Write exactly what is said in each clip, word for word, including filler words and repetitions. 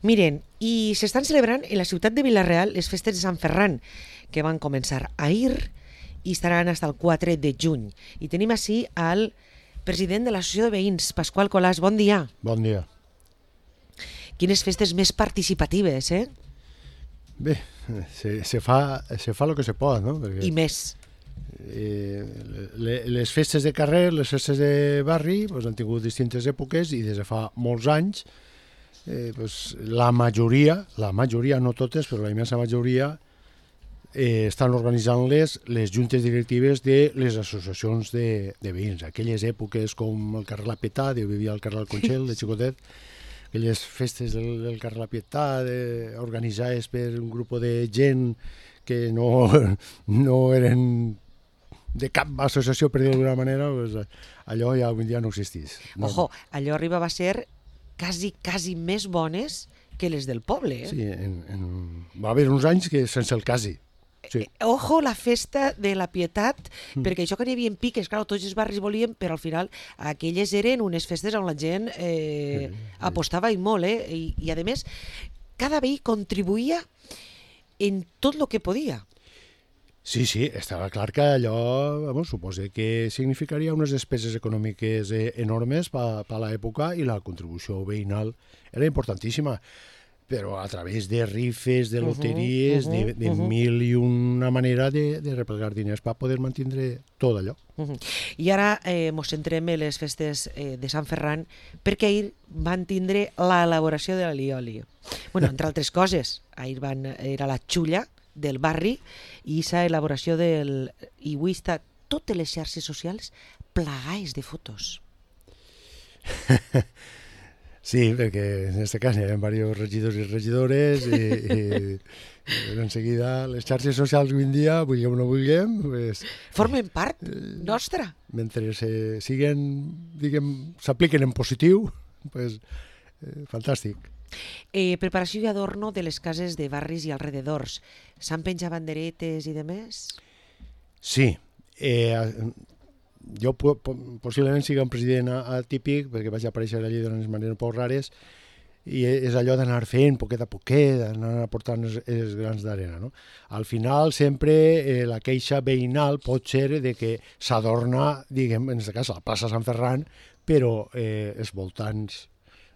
Miren, i s'estan celebrant en la ciutat de Vila-real les festes de Sant Ferran, que van començar ahir i estaran fins al quatre de juny. I tenim així al president de l'Associació de Veïns, Pasqual Colàs. Bon dia. Bon dia. Quines festes més participatives, eh? Bé, se, se fa se fa el que se pot, no? Perquè, I més. Eh, le, les festes de carrer, les festes de barri, pues, han tingut distintes èpoques i des de fa molts anys eh, pues, la majoria, la majoria, no totes, però la immensa majoria, eh, estan organitzant-les les juntes directives de les associacions de, de veïns. Aquelles èpoques com el carrer La Pietà, jo vivia al carrer del Conxel, de xicotet, aquelles festes del, del carrer La Pietà de, organitzades per un grup de gent que no, no eren de cap associació, per dir-ho d'alguna manera, pues, allò ja avui dia no existís. No. Ojo, allò arribava a ser quasi, quasi més bones que les del poble, eh? Sí, en, en... va haver uns anys que sense el quasi. Sí. Ojo, la festa de la Pietat, mm. perquè això que n'hi havia piques, clar, tots els barris volien, però al final aquelles eren unes festes on la gent eh, sí, sí. apostava i molt, eh? I, i a més, cada veí contribuïa en tot el que podia. Sí, sí, estava clar que allò, vamos, suposa que significaria unes despeses econòmiques eh, enormes per pa l'època i la contribució veïnal era importantíssima. Però a través de rifes, de loteries, uh -huh, uh -huh, de, de uh -huh. mil i una manera de, de replegar diners per poder mantindre tot allò. Uh -huh. I ara eh, mos centrem en les festes eh, de Sant Ferran, perquè ahir van tindre l'elaboració de l'alioli. Bueno, entre altres coses, ahir van, era la xulla del barri i aquesta elaboració del... I avui està totes les xarxes socials plagades de fotos. Sí, perquè en aquest cas hi ha diversos regidors i regidores i, i, i en seguida les xarxes socials avui en dia, vulguem o no vulguem... Pues, formen part nostra. Mentre se siguen, diguem, s'apliquen en positiu, pues, eh, fantàstic. Eh, preparació i adorno de les cases de barris i alrededors. S'han penjat banderetes i demés? Sí. Eh, jo po possiblement sigui un president atípic, perquè vaig aparèixer allí d'unes maneres poc rares, i és allò d'anar fent poquet a poquet, d'anar aportant els, els grans d'arena. No? Al final, sempre eh, la queixa veïnal pot ser de que s'adorna, diguem, en aquest cas, la plaça Sant Ferran, però eh, els voltants,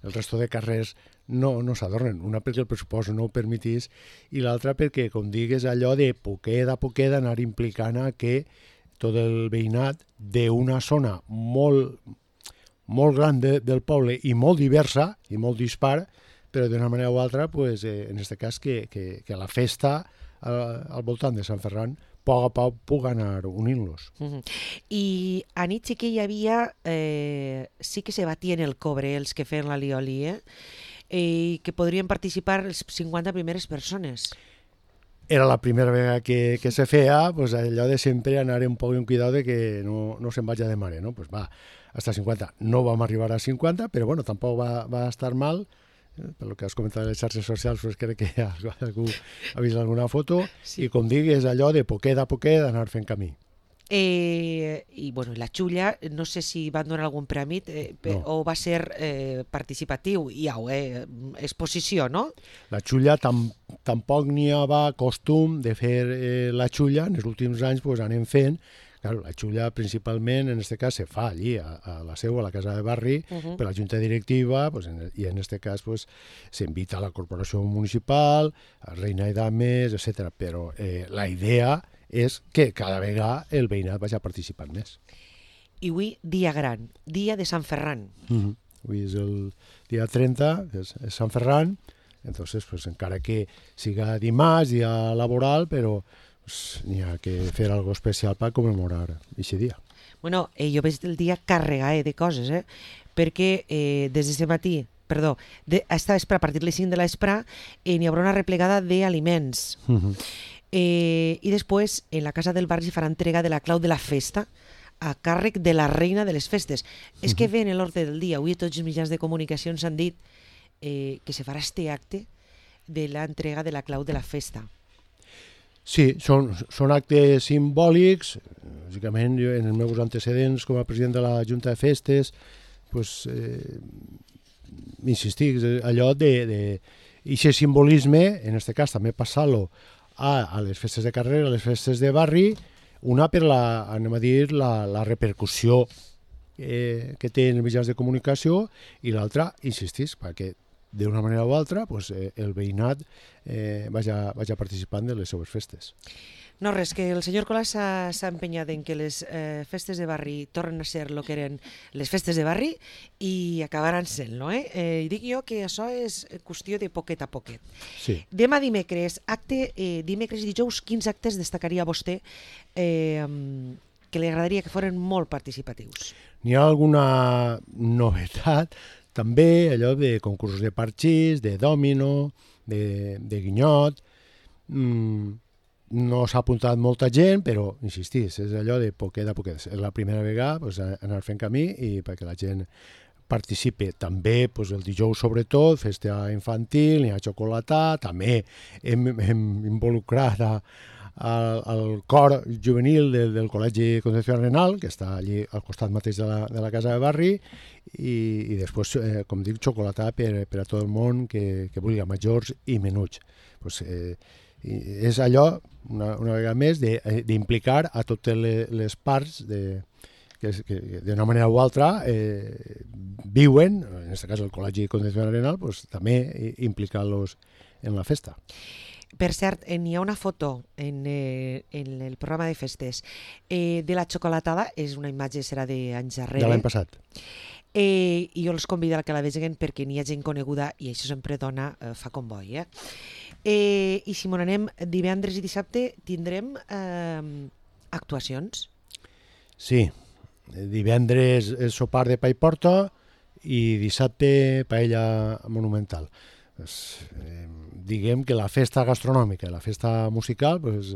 el resto de carrers, no, no s'adornen. Una perquè el pressupost no ho permetís i l'altra perquè, com digues, allò de poquet a poquet anar implicant a que tot el veïnat d'una zona molt, molt gran de, del poble i molt diversa i molt dispar, però d'una manera o altra, pues, eh, en aquest cas, que, que, que la festa al, al voltant de Sant Ferran a poc a poc pugui anar unint-los. Uh -huh. I a nit sí que hi havia, eh, sí que se batien el cobre els que feien l'alioli, eh? I que podrien participar les cinquanta primeres persones. Era la primera vegada que, que se feia, pues allò de sempre anar un poc en cuidado de que no, no se'n vagi de mare, no? Pues va, hasta cinquanta. No vam arribar a cinquanta, però bueno, tampoc va, va estar mal. Per lo que has comentat de les xarxes socials, pues crec que algú ha vist alguna foto, sí. I com digues, allò de poquet a poquet anar fent camí. Eh, I bueno, la xulla, no sé si van donar algun premi eh, no. o va ser eh, participatiu, i au, eh, exposició, no? La xulla tam, tampoc n'hi havia costum de fer eh, la xulla, en els últims anys pues, anem fent. Claro, la xulla principalment, en aquest cas, se fa allí, a, a la seu, a la casa de barri, uh -huh. per la junta directiva, pues, en, i en aquest cas pues, s'invita a la corporació municipal, a reina i dames, etcètera. Però eh, la idea és que cada vegada el veïnat vagi participant més. I avui, dia gran, dia de Sant Ferran. Uh -huh. Avui és el dia trenta, és, és Sant Ferran, entonces, pues, encara que siga dimarts, dia laboral, però pues, n'hi ha que fer algo especial per commemorar aquest dia. Bueno, eh, jo veig el dia carregat de coses, eh? Perquè eh, des d'aquest matí, perdó, de, esta vespre, a partir de les cinc de la vespre, eh, n'hi haurà una replegada d'aliments. Uh -huh. eh, I després, en la casa del barri, farà entrega de la clau de la festa a càrrec de la reina de les festes. Uh -huh. És que ve en l'ordre del dia. Avui tots els mitjans de comunicació ens han dit eh, que se farà este acte de l'entrega de la clau de la festa. Sí, són, són actes simbòlics. Bàsicament, jo, en els meus antecedents com a president de la Junta de Festes, pues, eh, insistic, allò de, de I aquest simbolisme, en aquest cas també passar-lo a, a les festes de carrer, a les festes de barri, una per la, anem a dir, la, la repercussió eh, que té en els mitjans de comunicació, i l'altra, insistís, perquè d'una manera o altra pues, eh, el veïnat eh, vaja, vaja participant de les seues festes. No, res, que el senyor Colau s'ha empenyat en que les eh, festes de barri tornen a ser el que eren les festes de barri i acabaran sent-lo. Eh? Eh, I dic jo que això és qüestió de poquet a poquet. Sí. Demà dimecres, acte, eh, dimecres i dijous, quins actes destacaria vostè eh, que li agradaria que foren molt participatius? N'hi ha alguna novetat, també allò de concursos de parxís, de dòmino, de, de guinyot. Mm, no s'ha apuntat molta gent, però, insistís, és allò de poquet a poquet. És la primera vegada pues, anar fent camí i perquè la gent participi. També pues, el dijous, sobretot, festa infantil, n'hi ha xocolatà, també hem, hem involucrat a, al, al cor juvenil del, del Col·legi Concepción Arenal, que està allí al costat mateix de la, de la casa de barri, i, i després, eh, com dic, xocolatà per, per a tot el món que, que vulgui, majors i menuts. Pues, eh, i és allò, una, una vegada més, d'implicar a totes les, les parts de, que, que d'una manera o altra eh, viuen, en aquest cas el Col·legi Concepción Arenal, pues, també implicar-los en la festa. Per cert, n'hi ha una foto en, eh, en el programa de festes eh, de la xocolatada, és una imatge, serà d'anys darrere. De l'any passat. Eh, I jo els convido a que la vegin perquè n'hi ha gent coneguda i això sempre dona, eh, fa com boi. Eh? Eh, I si m'on anem, divendres i dissabte tindrem eh, actuacions? Sí, divendres el sopar de pa i porta i dissabte paella monumental. Pues, eh, diguem que la festa gastronòmica i la festa musical pues,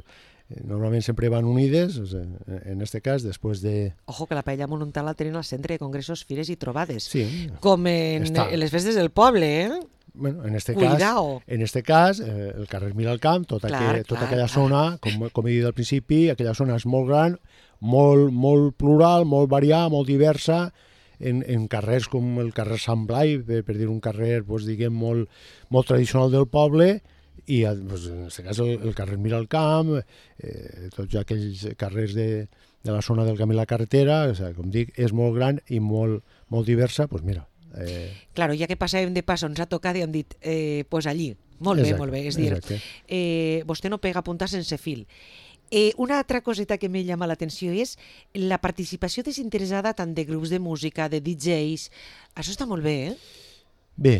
normalment sempre van unides, en aquest cas, després de... Ojo, que la paella monumental la tenen al centre de congressos, fires i trobades. Sí. Com en, en les festes del poble, eh? Bueno, en este Cuidao. cas, en este cas eh, el carrer Miralcamp, tota, clar, que, tota clar, aquella clar. zona, com, com he dit al principi, aquella zona és molt gran, molt, molt plural, molt variada, molt diversa, en, en carrers com el carrer Sant Blai, per, per dir un carrer pues, diguem, molt, molt tradicional del poble, i pues, en aquest cas el, el carrer Miralcamp, eh, tots aquells carrers de, de la zona del camí a la carretera, o sigui, com dic, és molt gran i molt, molt diversa, doncs pues mira. Eh... Claro, ja que passàvem de pas on s'ha tocat i hem dit, eh, pues allí, molt exacte, bé, molt bé, és dir, eh, vostè no pega puntar sense fil. Eh, una altra coseta que me llama l'atenció és la participació desinteressada tant de grups de música, de D Js, això està molt bé, eh? Bé,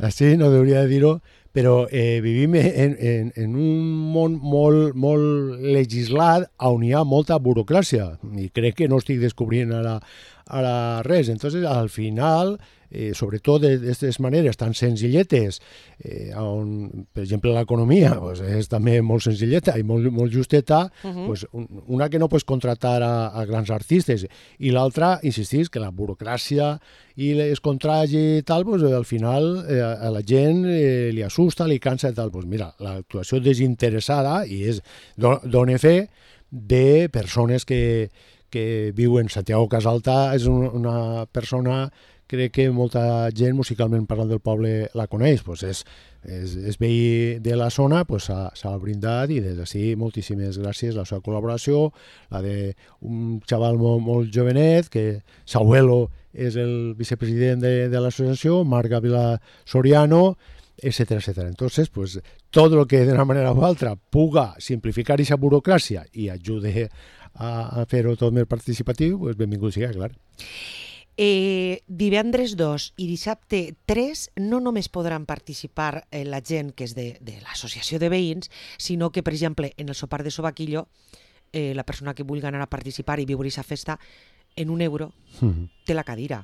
així no hauria de dir-ho, però eh, vivim en, en, en un món molt, molt legislat on hi ha molta burocràcia i crec que no estic descobrint ara, ara res. Entonces, al final, eh, sobretot d'aquestes maneres tan senzilletes, eh, on, per exemple, l'economia pues, és també molt senzilleta i molt, molt justeta, uh-huh. pues, una que no pots contratar a, a grans artistes i l'altra, insistís, que la burocràcia i els contrats i tal, pues, al final eh, a la gent eh, li assusta, li cansa i tal. Pues mira, l'actuació desinteressada i és dona fe de persones que, que viuen. Santiago Casalta és una, una persona, crec que molta gent musicalment parlant del poble la coneix, pues és, és, és veí de la zona, pues s'ha brindat i des d'ací moltíssimes gràcies a la seva col·laboració, la d'un xaval molt, molt jovenet, que s'abuelo és el vicepresident de, de l'associació, Marc Gavila Soriano, etcétera, etcétera. Entonces, pues, todo lo que de una manera u altra puga simplificar esa burocràcia i ajude a, a fer-ho tot més participatiu, pues, benvingut sigui, clar. Eh, divendres dos i dissabte tres no només podran participar eh, la gent que és de, de l'associació de veïns, sinó que, per exemple, en el sopar de Sobaquillo, eh, la persona que vulgui anar a participar i viure aquesta festa, en un euro, mm-hmm. té la cadira.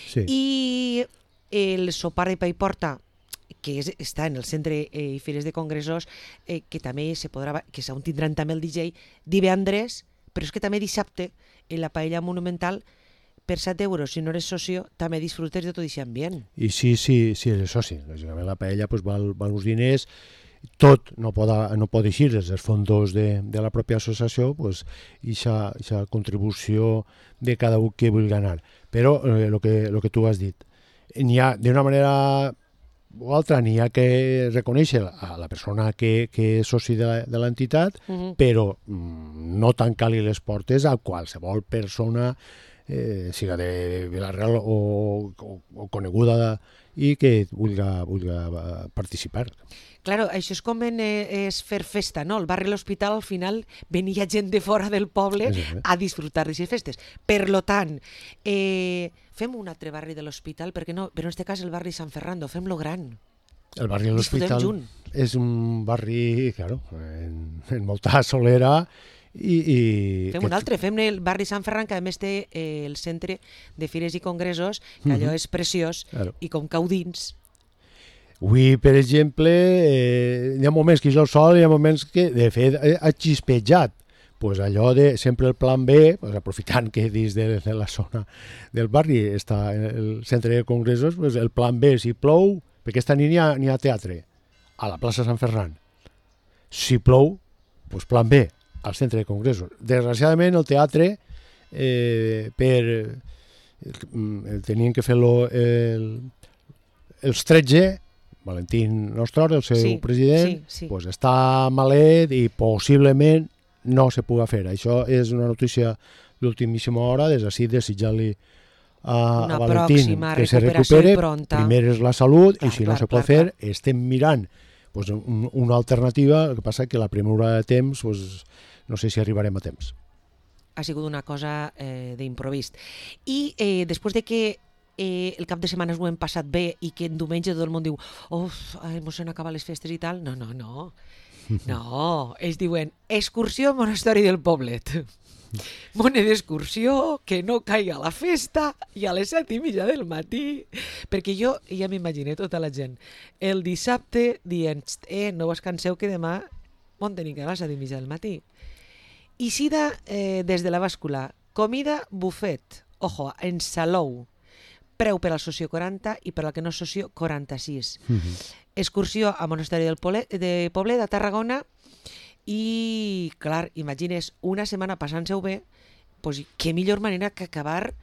Sí. I el sopar de pa i porta, que és, està en el centre eh, i fires de congressos, eh, que també se podrà, que on tindran també el D J, divendres, però és que també dissabte, en la paella monumental, per set euros, si no eres socio, també disfrutes de tot aquest ambient. I sí, sí, sí, eres soci. Lògicament la paella pues, val, val uns diners, tot no pot, no pot eixir des dels fons de, de la pròpia associació, pues, aquesta contribució de cada un que vulgui anar. Però el eh, que, lo que tu has dit, n'hi ha d'una manera o altra, n'hi ha que reconèixer a la persona que, que és soci de l'entitat, uh -huh. però mm, no tancar-li les portes a qualsevol persona, eh, siga de Vila-real o, o, o coneguda i que vulgui, vulgui participar. Claro, això és com en, eh, és fer festa, no? El barri de l'Hospital, al final, venia gent de fora del poble sí, sí. a disfrutar d'aquestes festes. Per lo tant, eh, fem un altre barri de l'Hospital, perquè no, però en aquest cas el barri Sant Fernando, fem-lo gran. El barri de l'Hospital és un barri, claro, en, en molta solera i... i fem un altre, fem el barri Sant Ferran, que a més té eh, el centre de fires i congressos, que allò uh-huh. és preciós, claro. I com cau dins... Avui, per exemple, eh, hi ha moments que jo sol, hi ha moments que, de fet, ha xispejat. Pues allò de sempre el plan B, pues aprofitant que dins de, de la zona del barri està el centre de congressos, pues el plan B, si plou, perquè aquesta nit n'hi ha, n'hi ha teatre, a la plaça Sant Ferran. Si plou, pues plan B, al centre de congressos. Desgraciadament, el teatre, eh, per... Eh, tenien que fer-lo el, els tretze, Valentín Nostor, el seu sí, president, sí, sí. Pues està malet i possiblement no se puga fer. Això és una notícia d'ultimíssima hora, des d'ací desitjar-li a, a Valentín que se recupere. Pronta. Primer és la salut clar, i si clar, no se pot clar, fer, clar. Estem mirant pues, un, una alternativa, el que passa que la premura de temps, pues, no sé si arribarem a temps. Ha sigut una cosa eh, d'improvist. I eh, després de que Eh, el cap de setmana ho hem passat bé i que en diumenge tot el món diu uf, mos han acabat les festes i tal, no, no, no no, ells diuen excursió al monestori del poblet mone d'excursió que no caiga la festa i a les set i mitja del matí, perquè jo ja m'imagino tota la gent el dissabte dient eh, no us canseu que demà on tenim que anar a les set i mitja del matí. I sida eh, des de la bàscula, comida buffet, ojo, en salou, preu per al socio quaranta i per al que no és socio quaranta-sis. Uh-huh. Excursió a Monestori del Poblet, de Poblet, a Tarragona, i, clar, imagines, una setmana passant-se-ho bé, pues, què millor manera que acabar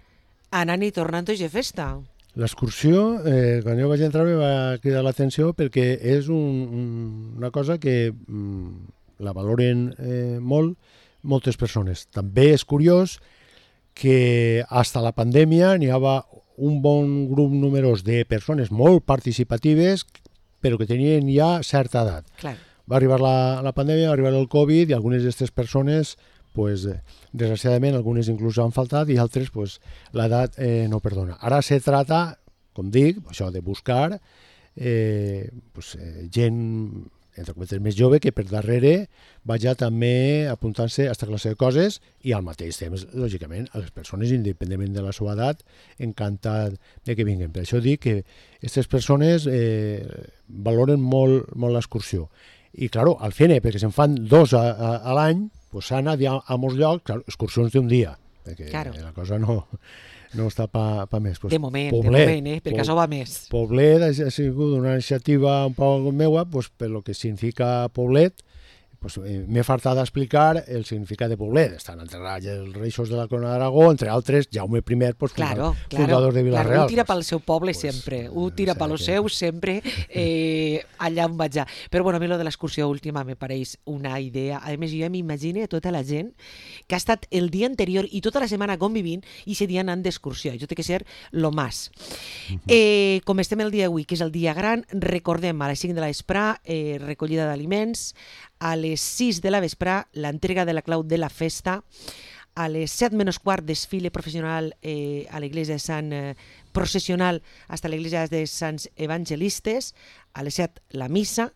anant i tornant a festa. L'excursió, eh, quan jo vaig entrar, me va cridar l'atenció perquè és un, un, una cosa que mm, la valoren eh, molt moltes persones. També és curiós que fins a la pandèmia n'hi havia un bon grup numerós de persones molt participatives, però que tenien ja certa edat. Clar. Va arribar la, la pandèmia, va arribar el Covid, i algunes d'aquestes persones, pues, desgraciadament, algunes inclús han faltat, i altres, pues, l'edat eh, no perdona. Ara se trata, com dic, això de buscar eh, pues, eh, gent, entre cometes, més jove, que per darrere vaja també apuntant-se a aquesta classe de coses i al mateix temps, lògicament, a les persones, independentment de la seva edat, encantat de que vinguin. Per això dic que aquestes persones eh, valoren molt, molt l'excursió. I, clar, al final, perquè se'n fan dos a, a, a l'any, pues, s'ha anat a, a molts llocs, clar, excursions d'un dia, perquè claro. La cosa no... no està pa, pa més. Pues, de moment, Poblet, de moment, eh? perquè això va més. Poblet ha, ha sigut una iniciativa un poc meua, pues, per lo que significa Poblet, pues, eh, m'he fartat d'explicar el significat de Poblet. Estan enterrats els reixos de la Corona d'Aragó, entre altres, Jaume primer, pues, claro, fundador, claro, fundador de Vila-real. Claro, un tira pel seu poble pues, sempre, un tira pel seu sempre eh, allà on vaig. Però bueno, a mi lo de l'excursió última me pareix una idea. A més, jo ja m'imagino tota la gent que ha estat el dia anterior i tota la setmana convivint i ese dia anant d'excursió. Això té que ser lo más. Uh-huh. Eh, com estem el dia avui, que és el dia gran, recordem a les cinc de la vesprà eh, recollida d'aliments, a les sis de la vesprà l'entrega de la clau de la festa, a les set menys quart desfile professional eh, a l'església de Sant eh, processional hasta l'església de Sants Evangelistes, a les set la missa,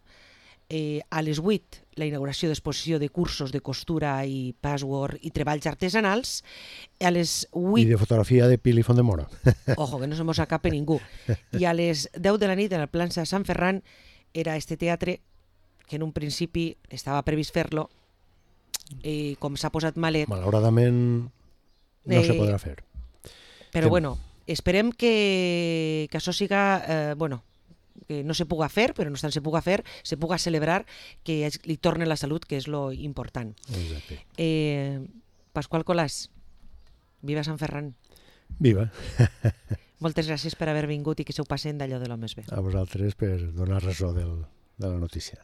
eh, a les vuit la inauguració d'exposició de cursos de costura i password i treballs artesanals, a les vuit... I de fotografia de Pili Fondemora. Ojo, que no se mos escape ningú. I a les deu de la nit en el Plan de Sant Ferran era este teatre que en un principi estava previst fer-lo, i com s'ha posat malet... Malauradament no eh, se podrà fer. Però Tem... bueno, esperem que, que això siga, eh, bueno, que no se puga fer, però no tant se puga fer, se puga celebrar, que li torne la salut, que és lo important. Exacte. Eh, Pasqual Colàs, viva Sant Ferran. Viva. Moltes gràcies per haver vingut i que s'ho passen d'allò de l'home bé. A vosaltres per donar raó del, de la notícia.